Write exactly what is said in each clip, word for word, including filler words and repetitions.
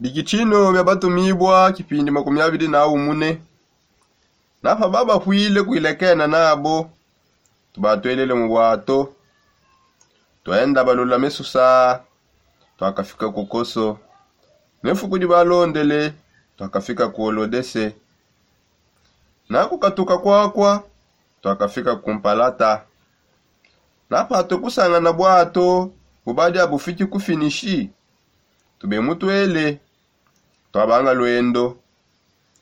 Bikitshino bia batumibua kipindi makumi abidi na umune. Napa babapwile kuilekena nabo, tubatwelele mu bwato. Twenda balula mesusa, twakafika ku koso. Ne fuku dibalondele, twakafika ku olodese. Na kukatuka kwakwa, twakafika ku mpalata. Napa tukusangana bwato bubadi abufiki ku finishi, tube mutwele, twabanga lwendo.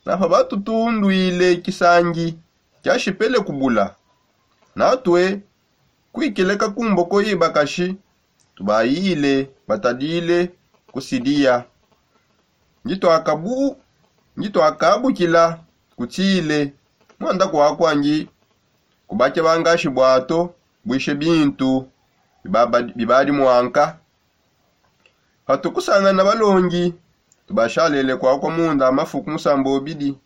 Napa batutundwile kisangi kiashipele kubula. Natwe kwikileka ku mboko yi bakashi, tubayile batadile ku sidiya. Ngitwakabukila kutile mwanda kwakwa ngi kubakia bangashi bwato bwishe bintu bibadi mwanka. Patukusangana balongi, tubashalele kwakwa munda mafuku musamba obidi.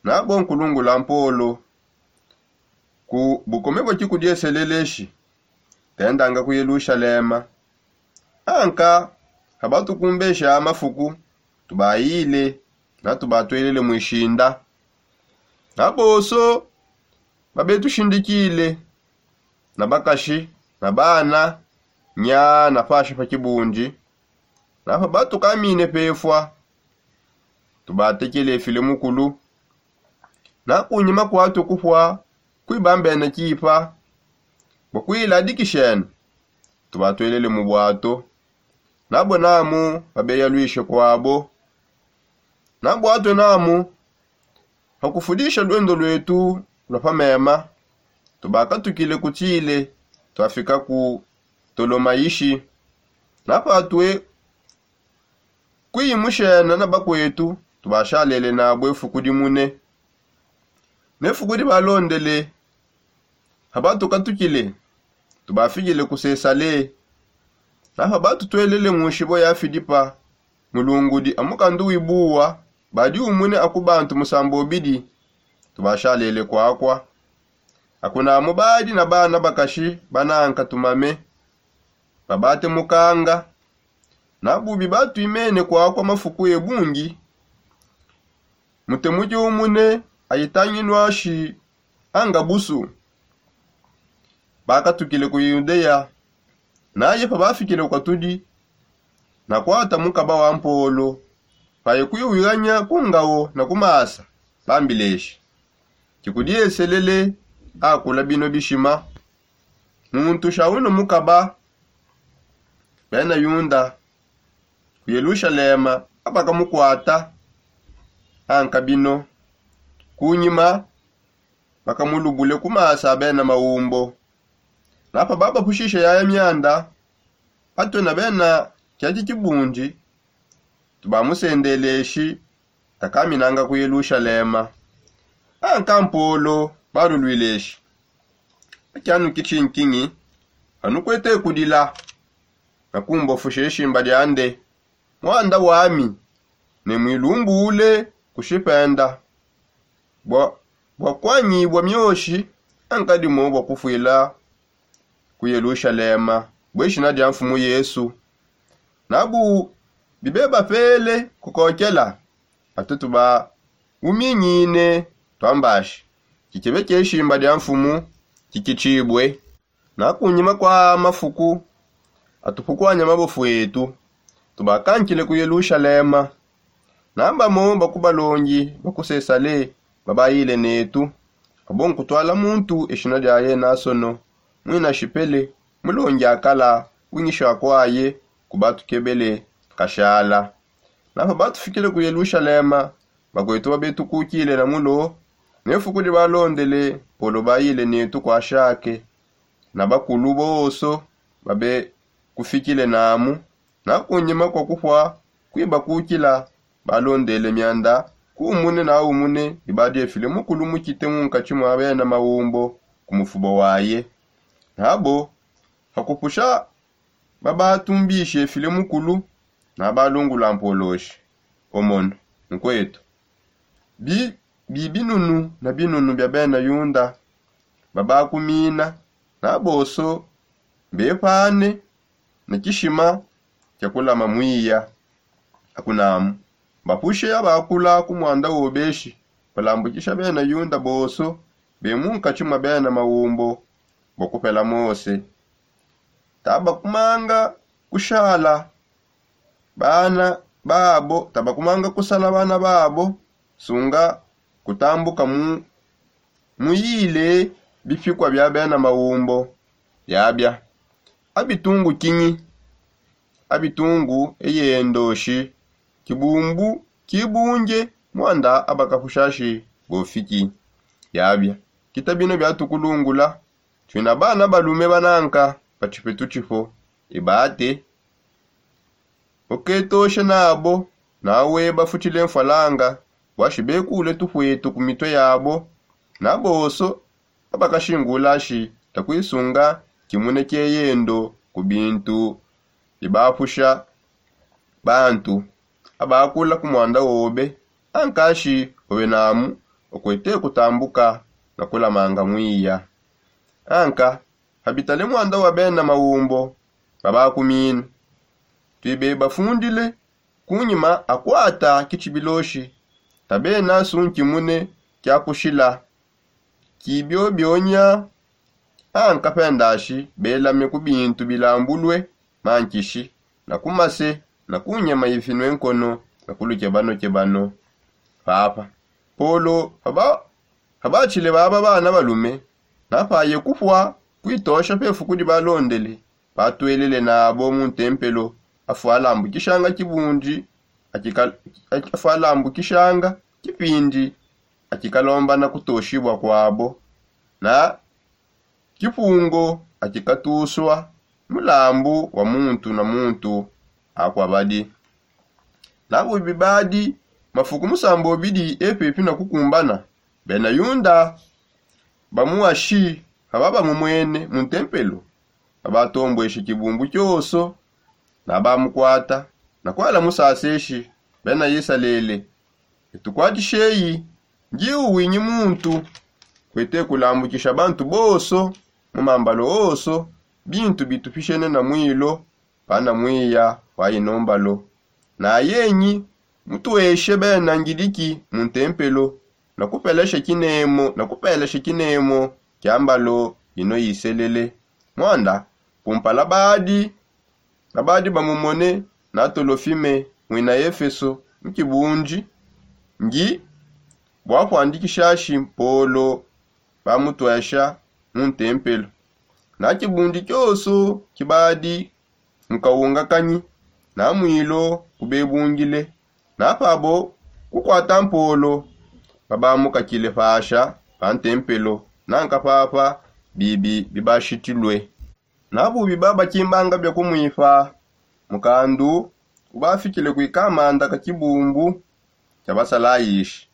Nabo nkulungula mpolo ku bukome bwa kikudieseleleshi, tendanga ku yelushalema. Anka habatukumbesha mafuku, tubayile na tubatwelele mwishinda. Naboso babetushindikile, na bakashi, na bana, nya na pasha pa kibundi. Napa batukamine pefwa, tubatekele file mukulu. Na kunyima kwatu kupwa kwibambena kipa bwa kuiladikishena, tubatwelele mu bwato. Nabo namu babeyalwishe kwabo. Nabwatwe namu pakufudisha lwendo lwetu lwa pamema, tubakatukile kutile twafika ku tolomayishi. Napatwe kuyimushena na bakwetu, tubashalele nabwe fuku dimune. Ne fuku dibalondele, habatukatukile, tubafikile ku sesale. Napa batutwelele mu nshibo ya filipa, mulungudi a mukandu wibuwa badi umune aku bantu musamba obidi, tubashalele kwakwa. Akunamu badi na bana bakashi bananka tumame, babate mukanga. Nabubi batwimene kwakwa mafuku ebungi, mutemuki umune ayitanginwashi anga busu. Bakatukile ku yudeya. Naye pabafikile ku katudi, nakwata mukaba wa mpolo, paye kwiwiganya ku ngawo na ku masa, bambileshi, kikudieselele akula bino bishima. Muntu sha uno mukaba, bena yunda ku yelushalema abakamukwata. Anka bino kunyima bakamulubule ku masa bena maumbo. Napa babapushisha yaya myanda, atwe na bena kyaki kibundi tubamusendeleshi, takaminanga ku yelushalema. Anka mpolo balulwileshi, akyanu kichinkingi, anukwete kudila na kumbofusha eshimba lyande. Mwanda wami, ne mwilumbule kushipenda bwa kwanyibwa myoshi, ankadimo bwa kufwila ku yelushalema bweshina lya mfumu yesu. Nabu bibebapele kukokela, atutu ba uminyine twambashi kikebe kyeshimba lya mfumu kikitshibwe. Na kunyima kwa mafuku atupukwanya mabofu etu, tubakankile ku yelushalema. Nambamo bakubalongi bakusesale babayile netu, abo nkutwala muntu eshina lyaye nasono, mwina shipele, mulongi akala, winyisha kwaye kubatukebele kashala. Napa batufikile ku yelushalema, bakwetu babetukukile na mulo, ne fuku dibalondele polo bayile netu kwa shake. Na bakulu boso babe kufikile namu. Na kunyima kwa kupwa kwibakukila, balondele myanda ku umune na umune ibadiefile mukulu mukite munkatshi mwa bena maumbo ku mufubo waye. Nabo pakupusha babatumbishe file mukulu, nabalungula mpoloshi, omono, nkwetu, bi binunu na binunu bya bena yunda babakumina, na boso mbepane na kishima kya kulama mwiya. Akunamu Bapushe abakula ku muanda wobeshi, balambukisha bena Yuda bonso be mu nkatshi mua bena maumbo bua kupela Mose. Tabakumanga kushala bana babo, tabakumanga kusala bana babo, sunga kutambuka mu muyile bipikua bia bena maumbo. Yabia abitungu kinyi? Abitungu eyendoshi kibumbu kibunge muanda abakapushashi bofiki. Yabia kita bino biatukulungula. Tuina bana balume bananka pa tshipetu tshipo ibate uketoshe nabo, nawe bafutshile mfwalanga bwashi bekule tupuetu ku mitue yabo. Nabonso abakashingulashi takuisunga kimune kieyendo ku bintu bibapusha bantu abakula ku muanda wobe. Ankashi obe namu okwete kutambuka na kulamanga muiya. Anka habitale muanda wa bena maumbo babakumina. Tuibe bafundile kunyima akwata kitshibiloshi tabena sunkimune kiakushila kibiobionya. Anka pendashi belame ku bintu bilambulue mankishi na ku mase na ku nyama ifinue nkono na ku lukebanokebano. Papa polo pabatshile baba bana balume napaye kupua kuitosha pefu kudi balondele. Patuelele nabo mu ntempelo afu alambukishanga kibundi akika- afua alambukishanga kipindi akikalombana kutoshibua kuabo na kipungo akikatusua mulambu wa muntu na muntu. Akua badi nabu bibadi mafuku musambobidi epepi na kukumbana. Bena yunda bamuashi paba bamumwene mu ntempelo abatombweshe kibumbu kioso nabamukwata na kuala musaseshi. Bena isalele etukwatisheyi ngiwu winyi muntu kwete kulambukisha bantu bonso mu mambalo onso bintu bitupishene na mwilo pana mwiya wa ino mbalo. Na yenyi mutueshe bena ngidiki mu ntempelo na kupelesha kinemo na kupelesha kinemo kia mbalo ino iselele. Mwanda kumpala badi na badi bamumone na tolofime mwina efeso mu kibundi ngi bua kuandikishashi mpolo bamutuesha mu ntempelo. Na kibundi kioso kibadi mu kawunga kanyi na mwilo kubebungile na pabo kukwata mpolo babamukakile pasha pa ntempelo nanka papa bibi bibashitilue. Na bubi babakimbanga bia kumuipa mukandu ubafikile kui kamanda ka kibumbu kia basalayishi.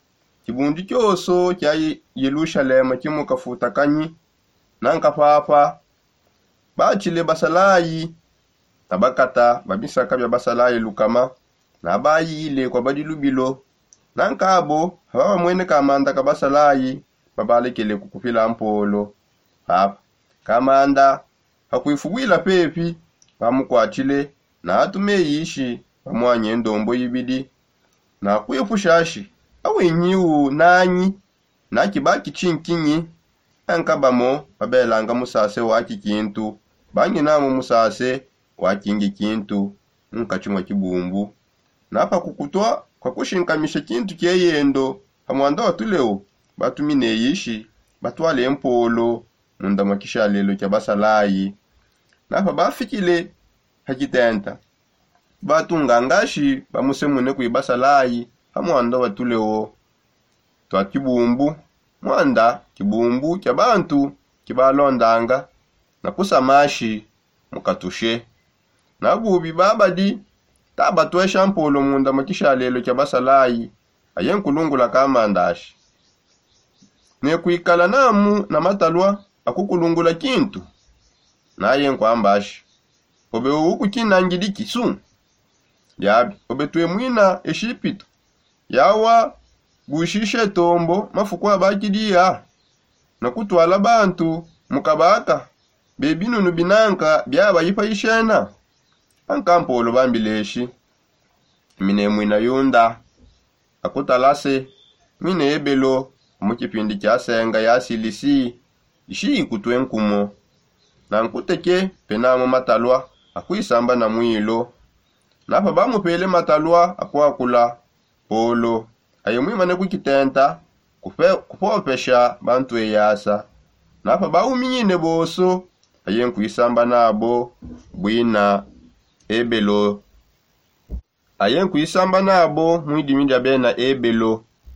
Kibundi kioso kia yelushalema kimukafuta kanyi nanka papa batshile basalayi na bakata ba bisaka bia basalayi lukama na bayile kwa badi lubilo. Nanka abo paba bamwene kamanda ka basalayi babalekele kukupila mpolo. Papa kamanda pakuifubuila pepi bamukwatshile na atumeyishi bamuanye ndombo ibidi na kuipushashi awinyi u nanyi na kibaki tshinkinyi. Nanka bamo babelanga musase wa kikintu banginamu musase wa kingi kintu mu nkatshi mua kibumbu. Na pakukutwa kwa kushinkamisha kintu kieyendo pa mwanda wa tuleo batumineyishi batwale mpolo munda mua kishalelo kia basalayi. Na pabafikile pa kitenta batungangashi bamusemune kui basalayi pa mwanda wa tuleo twa kibumbu. Mwanda kibumbu kia bantu kibalondanga na kusamashi mukatushe. Na bubi babadi tabatuesha mpolo munda mua kishalelo kia basalayi. Aye nkulungula kamandashi ne kuikala namu na matalua akukulungula kintu. Naye nkuambashi obe uwu kukina ngidi kisu. Diabi obe tuemuina eshipito yawa bushishe tombo mafuku abakidiya na kutwala bantu mu kabaka be binunu binanka biabayi pa ishena. Ankampolo bambileshi minemwina yunda akutalase mwine ebelo mu kipindi kia senga ya silisi. Ishiyi kutue nkumo na nkuteke. Penamo matalua akuisamba na mwilo. Napa bamupele matalua akuakula polo aye mwimane kukitenta kupopesha bantu eyasa. Napa bauminyine bonso aye nkuisamba nabo bwina ebelo. Aye nkuisamba nabo mwidimi dia bena ebelo.